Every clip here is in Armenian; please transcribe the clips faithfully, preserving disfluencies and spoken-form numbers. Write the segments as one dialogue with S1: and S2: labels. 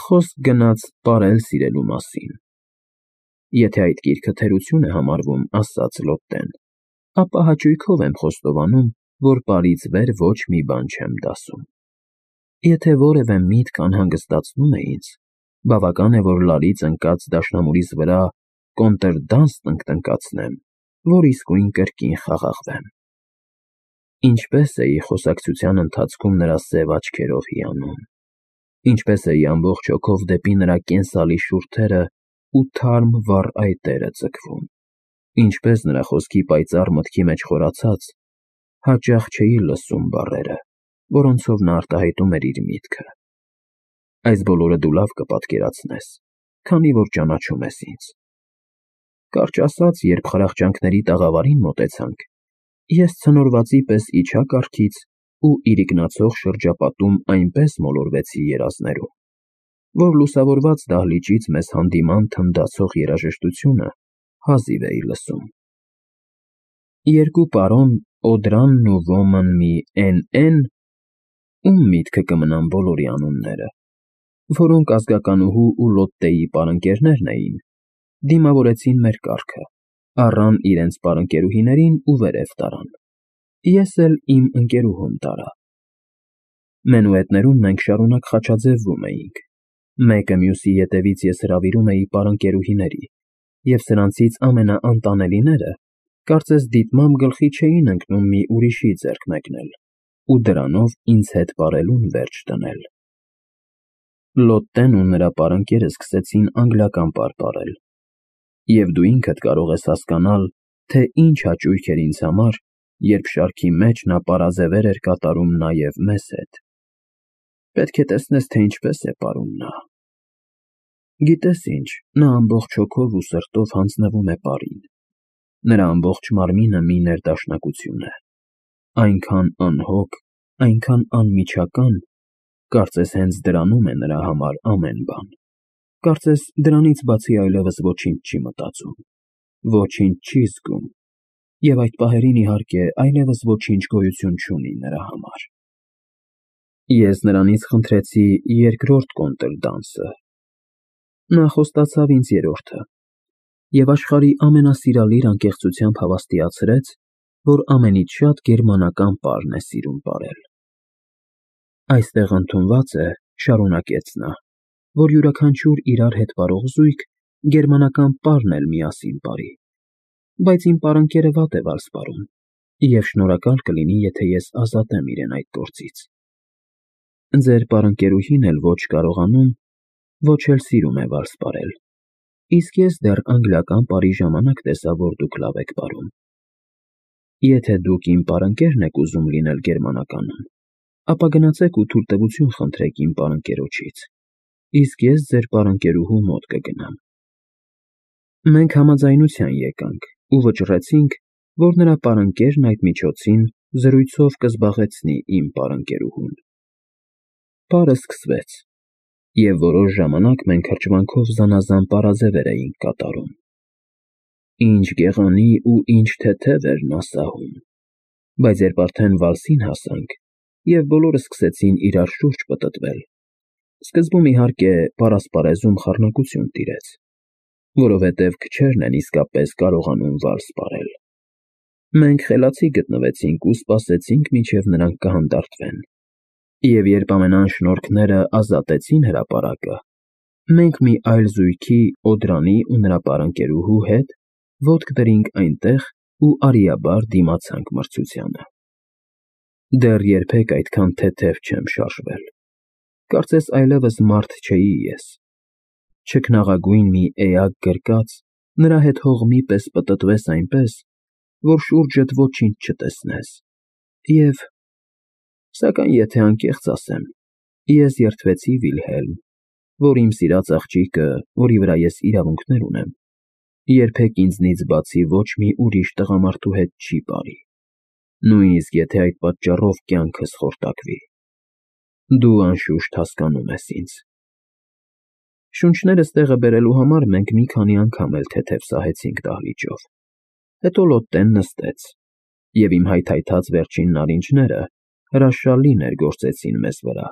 S1: Խոսք գնաց պարել սիրելու մասին։ Եթե այդ գիրքը թերություն է համարվում, ասաց Լոտտեն, ապա հաճույքով եմ խոստովանում, որ պարից վեր ոչ մի բան չեմ դասում։ Եթե որևէ միտք անհանգստացնում է ինձ, բավական է, որ լարից ընկած դաշնամուրիս վրա կոնտրդանս տնկտնկացնեմ, որ իսկույն կրկին խաղաղվեմ։ Ինչպես էի խոսակցության ընթացքում նրա սև աչքերով հիանում, ինչպես էի ամբողջ հոգով դեպի նրա կենսալի շուրթերը ու թարմ վառ այտերը ձգվում, ինչպես նրա խոսքի պայծառ մտքի մեջ խորացած, հաճախ չէի լսում բառերը, որոնցով նա արտահայտում էր իր միտքը։ Այս բոլորը դու լավ կպատկերացնես, քանի որ ճանաչում ես ինձ։ Կարճ ասած, երբ խրախճանքների տաղավարին մոտեցանք, ես ցնորվածի պես իջա կառքից ու իրիկնացող շրջապատում այնպես մոլորվեցի երազներում, որ լուսավորված դահլիճից մեզ հանդիման թնդացող երաժշտությունը հազիվ էի լսում։ Երկու պարոն Օդրանն ու Ոմն մի Էն֊Էն, ում միտքը կմնան բոլորի անունները, որոնք ազգականուհու ու Լոտտեի պարընկերներն էին, դիմավորեցին մեր կառքը, առան իրենց պարընկերուհիներին ու վերև տարան։ Ես էլ իմ ընկերուհուն տարա։ Մենուետներում մենք շարունակ խաչաձևվում էինք, մեկը մյուսի ետևից ես հրավիրում էի պարընկերուհիների, և սրանցից ամենաանտանելիները կարծես դիտմամբ գլխի չէին ընկնում մի ուրիշի ձեռք մեկնել ու դրանով ինձ հետ պարելուն վերջ դնել։ Լոտտեն ու նրա պարընկերը սկսեցին անգլիական պար պարել, և դու ինքդ կարող ես հասկանալ, թե ինչ հաճույք էր ինձ համար, երբ շարքի մեջ նա պարաձևեր էր կատարում նաև մեզ հետ։ Պետք է տեսնես, թե ինչպես է պարում նա։ Գիտես ինչ, նա ամբողջ հոգով ու սրտով հանձնվում է պարին։ Նրա ամբողջ մարմինը մի ներդաշնակություն է, այնքան անհոգ, այնքան անմիջական, կարծես հենց դրանում է նրա համար ամեն բան, կարծես դրանից բացի այլևս ոչինչ չի մտածում, ոչինչ չի զգում, և այդ պահերին, իհարկե, այլևս ոչինչ գոյություն չունի նրա համար։ Ես նրանից խնդրեցի երկրորդ կոնտրդանսը։ Նա խոստացավ ինձ երրորդը և աշխարհի ամենասիրալիր անկեղծությամբ հավաստիացրեց, որ ամենից շատ գերմանական պարն է սիրում պարել։ Այստեղ ընդունված է, շարունակեց նա, որ յուրաքանչյուր իրար հետ պարող զույգ գերմանական պարն էլ միասին պարի, բայց իմ պարընկերը վատ է վալս պարում, և շնորհակալ կլինի, եթե ես ազատեմ իրեն այդ գործից։ Ձեր պարընկերուհին էլ ոչ կարողանում, ոչ էլ սիրում է վալս պարել, իսկ ես դեռ անգլիական պարի ժամանակ տեսա, որ դուք լավ եք պարում։ Եթե դուք իմ պարընկերն եք ուզում լինել գերմանականում, ապա գնացեք ու թույլտվություն խնդրեք իմ պարընկերոջից, իսկ ես ձեր պարընկերուհու մոտ կգնամ։ Մենք համաձայնության եկանք ու վճռեցինք, որ նրա պարընկերն այդ միջոցին զրույցով կզբաղեցնի իմ պարընկերուհուն։ Պարը սկսվեց, և որոշ ժամանակ մենք հրճվանքով զանազան պարաձևեր էինք կատարում։ Ինչ գեղանի ու ինչ թեթև էր նա սահում, բայց երբ արդեն վալսին հասանք, և բոլորը սկսեցին իրար շուրջ պտտվել, սկզբում, իհարկե, պարասպարեզում խառնակություն տիրեց, որովհետև քչերն են իսկապես կարողանում վալս պարել։ Մենք խելացի գտնվեցինք ու սպասեցինք, մինչև նրանք կհանդարտվեն, և երբ ամենայն շնորհքները ազատեցին հրապարակը, մենք մի այլ զույգի՝ Օդրանի ու նրա պարընկերուհու հետ ոտք դրինք այնտեղ ու արիաբար դիմացանք մրցությանը։ Դեռ երբեք այդքան թեթև չեմ շարժվել, կարծես այլևս մարդ չէի ես, չքնաղագույն մի էակ գրկած նրա հետ հողմի պես պտտվես այնպես, որ շուրջդ ոչինչ չտեսնես, և… Սակայն եթե անկեղծ ասեմ, ես երդվեցի Վիլհելմ, որ իմ սիրած աղջիկը, որի վրա ես իրավունքներ ունեմ, երբեք ինձնից բացի ոչ մի ուրիշ տղամարդու հետ չի պարի, նույնիսկ եթե այդ պատճառով կյանքս խորտակվի։ Դու, անշուշտ, հասկանում ես ինձ։ Շունչներս տեղը բերելու համար մենք մի քանի անգամ էլ թեթև սահեցինք դահլիճով, հետո Լոտտեն նստեց, և իմ հայթայթած վերջին նարինջները հրաշալի ներգործեցին մեզ վրա։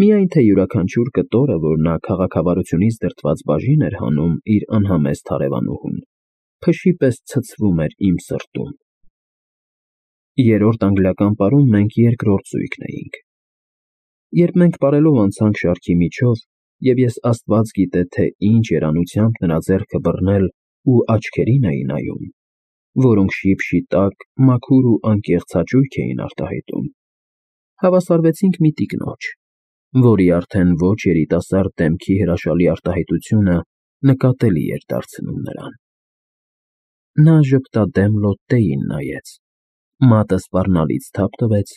S1: Միայն թե յուրաքանչյուր կտորը, որ նա քաղաքավարությունից դրդված բաժին էր հանում իր անհամեստ հարևանուհուն, փշի պես ցցվում էր իմ սրտում։ Երրորդ անգլիական պարում մենք երկրորդ զույգն էինք։ Երբ մենք պարելով անցանք շարքի միջով, և ես աստված գիտե, թե ինչ երանությամբ նրա ձեռքը բռնել ու աչքերին էի նայում, որոնք շիպ֊շիտակ, մաքուր ու անկեղծ հաճույք էին արտահայտում, հավասարվեցինք մի տիկնոջ, որի արդեն ոչ երիտասարդ դեմքի հրաշալի արտահայտությունը նկատելի էր դարձնում նրան։ Նա ժպտադեմ Լոտտեին նայեց, մատը սպառնալից թափ տվեց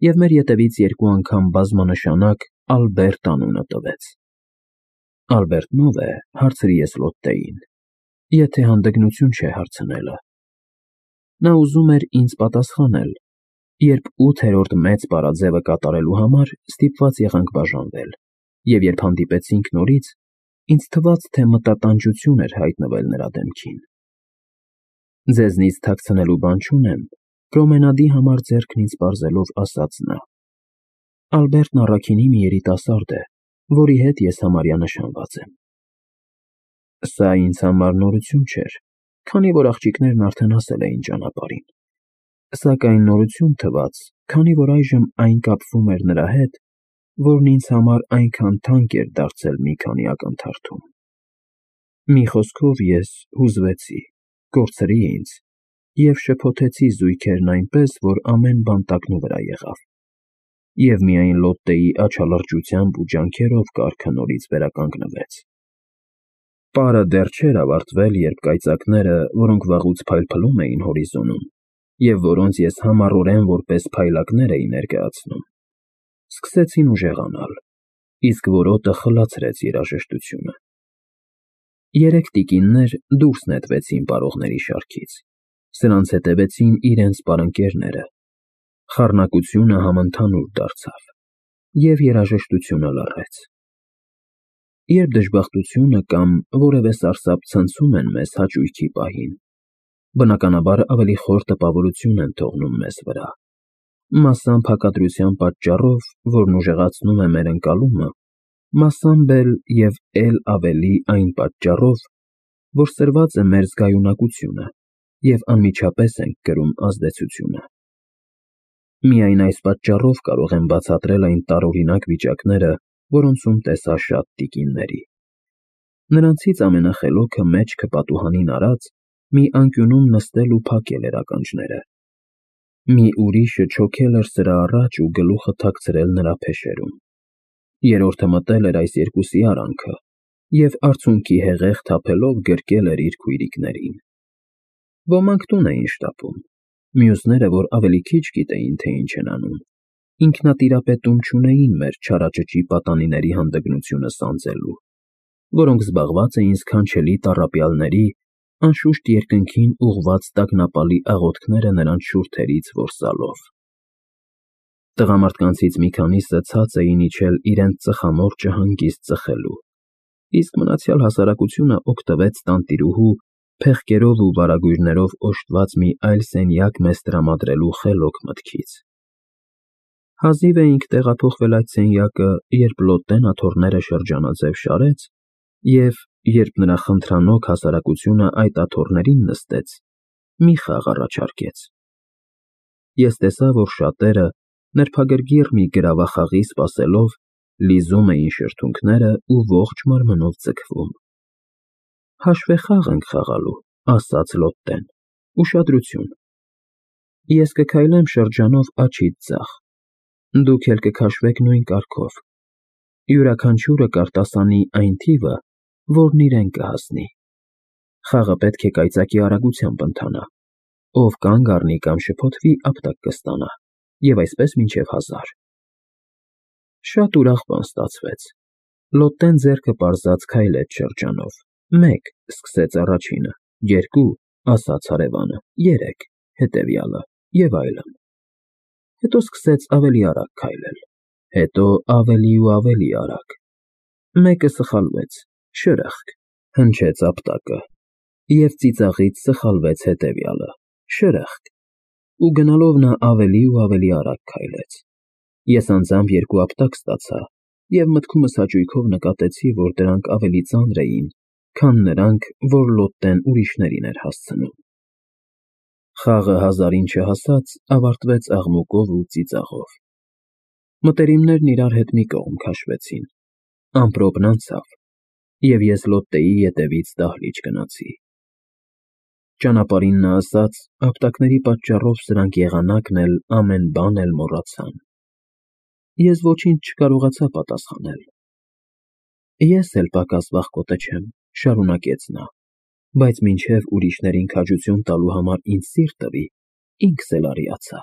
S1: և մեր ետևից երկու անգամ բազմանշանակ Ալբերտ անունը տվեց։ ֊ Ալբերտն ո՞վ է, հարցրի ես Լոտտեին, եթե հանդգնություն չէ հարցնելը։ Նա ուզում էր ինձ պատասխանել, երբ ութերորդ մեծ պարաձևը կատարելու համար ստիպված եղանք բաժանվել, և երբ հանդիպեցինք նորից, ինձ թվաց, թե մտատանջություն էր հայտնվել նրա դեմքին։ ֊ Ձեզնից թաքցնելու բան չունեմ, պրոմենադի համար ձեռքն ինձ պարզելով ասաց նա։ Ալբերտն առաքինի մի երիտասարդ է, որի հետ ես համարյա նշանված եմ։ Սա ինձ համար նորություն չէր, քանի որ աղջիկներն արդեն հասել էին ճանապարհին, սակայն նորություն թվաց, քանի որ այժմ այն կապվում էր նրա հետ, որն ինձ համար այնքան թանկ էր դարձել մի քանի ակնթարթում։ Մի խոսքով ես հուզվեցի, կորցրի ինձ և շփոթեցի զույգերն այնպես, որ ամեն բան տակնուվրա եղավ, և միայն Լոտտեի աչալրջությամբ ու ջանքերով կարգը նորից վերականգնվեց։ Պարը դեռ չէր ավարտվել, երբ կայծակները, որոնք վաղուց փայլփլում էին հորիզոնում, և որոնց ես համառորեն որպես փայլակներ էի ներկայացնում, սկսեցին ուժեղանալ, իսկ որոտը խլացրեց երաժշտությունը։ Երեք տիկիններ դուրս նետվեցին պարողների շարքից, սրանց հետևեցին իրենց պարընկերները, խառնակությունը համընդհանուր դարձավ, և երաժշտությունը լռեց։ Երբ դժբախտությունը կամ որևէ սարսափ ցնցում են մեզ հաճույքի պահին, բնականաբար ավելի խոր տպավորություն են թողնում մեզ վրա, մասամբ հակադրության պատճառով, որն ուժեղացնում է մեր ընկալումը, մասամբ էլ և էլ ավելի այն պատճառով, որ սրված է մեր զգայունակությունը և անմիջապես ենք կրում ազդեցությունը։ Միայն այս պատճառով կարող եմ բացատրել այն տարօրինակ վիճակները, որոնցում տեսա շատ տիկինների։ Նրանցից ամենախելոքը մեջքը պատուհանին արած, մի անկյունում նստել ու փակել էր ականջները։ Մի ուրիշը չոքել էր սրա առաջ ու գլուխը թաքցրել նրա փեշերում։ Երրորդը մտել էր այս երկուսի արանքը և արցունքի հեղեղ թափելով գրկել էր իր քույրիկներին։ Ոմանք տուն էին շտապում, մյուսները, որ ավելի քիչ գիտեին, թե ինչ են անում, ինքնատիրապետում չունեին մեր չարաճճի պատանիների հանդգնությունը սանձելու, որոնք զբաղված էին սքանչելի տառապյալների, անշուշտ երկնքին ուղղված տագնապալի աղոթքները նրանց շուրթերից որսալով։ Տղամարդկանցից մի քանիսը ցած էին իջել իրենց ծխամորճը հանգիստ ծխելու, իսկ մնացյալ հասարակությունը օգտվեց տանտիրուհու փեղկերով ու վարագույրներով օժտված մի այլ սենյակ մեզ տրամադրելու խելոք մտքից։ Հազիվ էինք տեղափոխվել այդ սենյակը, երբ Լոտտեն աթոռները շրջանաձև շարեց և, երբ նրա խնդրանոք հասարակությունը այդ աթոռներին նստեց, մի խաղ առաջարկեց։ Ես տեսա, որ շատերը, նրբագրգիռ մի գրավախաղի սպասելով, լիզում էին շրթունքները ու ողջ մարմնով ձգվում։ Հաշվեխաղ ենք խաղալու, ասաց Լոտտեն, ուշադրություն։ Ես կքայլեմ շրջանով աջից ձախ, դուք էլ կքաշվեք նույն կարգով, յուրաքանչյուրը կարտասանի այն թիվը, որն իրեն կհասնի։ Խաղը պետք է կայծակի արագությամբ ընթանա, ով կանգ առնի կամ շփոթվի, ապտակ կստանա, և այսպես մինչև հազար։ Շատ ուրախ բան ստացվեց։ Լոտտեն ձեռքը պարզած քայլեց շրջանով, մեկ, սկսեց առաջինը, երկու, ասաց հարևանը, երեք, հետևյալը, և այլն։ Հետո սկսեց ավելի արագ քայլել, հետո ավելի ու ավելի արագ։ Մեկը սխալվեց, շրըխկ, հնչեց ապտակը, և ծիծաղից սխալվեց հետևյալը, շրըխկ, ու գնալով նա ավելի ու ավելի արագ քայլեց։ Ես անձամբ երկու ապտակ ստացա և մտքումս հաճույքով նկատեցի, որ դրանք ավելի ծանր էին, քան նրանք, որ Լոտտեն ուրիշներին էր հասցնում։ Խաղը հազարին չհասած ավարտվեց աղմուկով ու ծիծաղով։ Մտերիմներն իրար հետ մի կողմ քաշվեցին, ամպրոպն անցավ, և ես Լոտտեի ետևից դահլիճ գնացի։ Ճանապարհին նա ասաց՝ ապտակների պատճառով սրանք եղանակն էլ, ամեն բան էլ մոռացան։ Ես ոչինչ չկարողացա պատասխանել։ Ես էլ պակաս վախկոտը չեմ, շարունակեց նա, բայց մինչև ուրիշներին քաջություն տալու համար ինձ սիրտ տվի, ինքս էլ արիացա։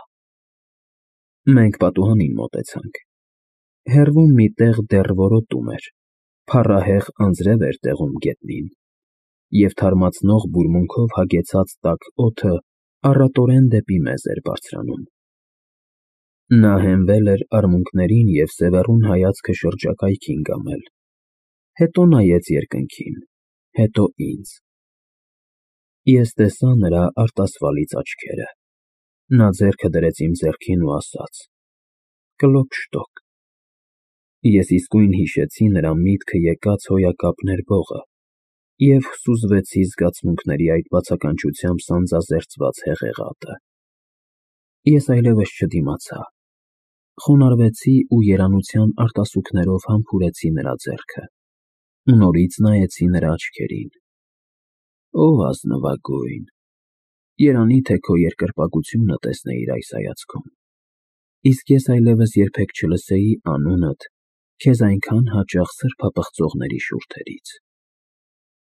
S1: Մենք պատուհանին մոտեցանք։ Հեռվում մի տեղ դեռ որոտում էր, փառահեղ անձրև էր տեղում գետնին, և թարմացնող բուրմունքով հագեցած տաք օդը առատորեն դեպի մեզ էր բարձրանում։ Նա հենվել էր արմունկներին և սևեռուն հայացքը շրջակայքին կամել, հետո նայեց երկնքին, հետո ինձ։ Ես տեսա նրա արտասվալից աչքերը։ Նա ձեռքը դրեց իմ ձեռքին ու ասաց. «Կլոպշտոկ»։ Ես իսկույն հիշեցի նրա միտքը եկած հոյակապ ներբողը և սուզվեցի զգացմունքների այդ բացականչությամբ սանձազերծված հեղեղատը։ Ես այլևս չդիմացա, խոնարհվեցի ու երանության արտասուքներով համբուրեցի նրա ձեռքը ու նորից նայեցի նրա աչքերին։ Ով ազնվագույն, երանի թե քո երկրպագությունը տեսնեիր այս հայացքում, իսկ ես այլևս երբեք չլսեի անունդ քեզ այնքան հաճախ սրբապղծողների շուրթերից։